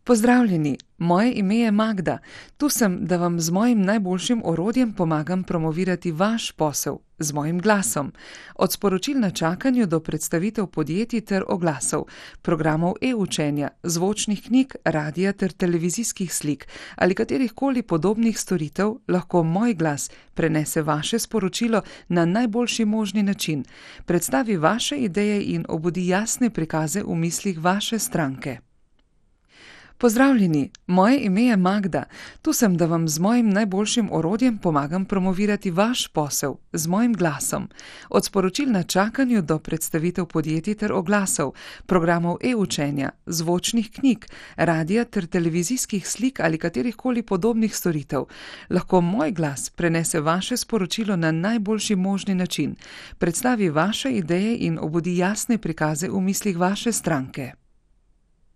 Pozdravljeni, moje ime je Magda. Tu sem, da vam z mojim najboljšim orodjem pomagam promovirati vaš posel, z mojim glasom. Od sporočil na čakanju do predstavitev podjetij ter oglasov, programov e-učenja, zvočnih knjig, radia ter televizijskih slik ali katerihkoli podobnih storitev lahko moj glas prenese vaše sporočilo na najboljši možni način, predstavi vaše ideje in obudi jasne prikaze v mislih vaše stranke. Pozdravljeni, moje ime je Magda. Tu sem, da vam z mojim najboljšim orodjem pomagam promovirati vaš posel, z mojim glasom. Od sporočil na čakanju do predstavitev podjetij ter oglasov, programov e-učenja, zvočnih knjig, radia ter televizijskih slik ali katerihkoli podobnih storitev, lahko moj glas prenese vaše sporočilo na najboljši možni način, predstavi vaše ideje in obudi jasne prikaze v mislih vaše stranke.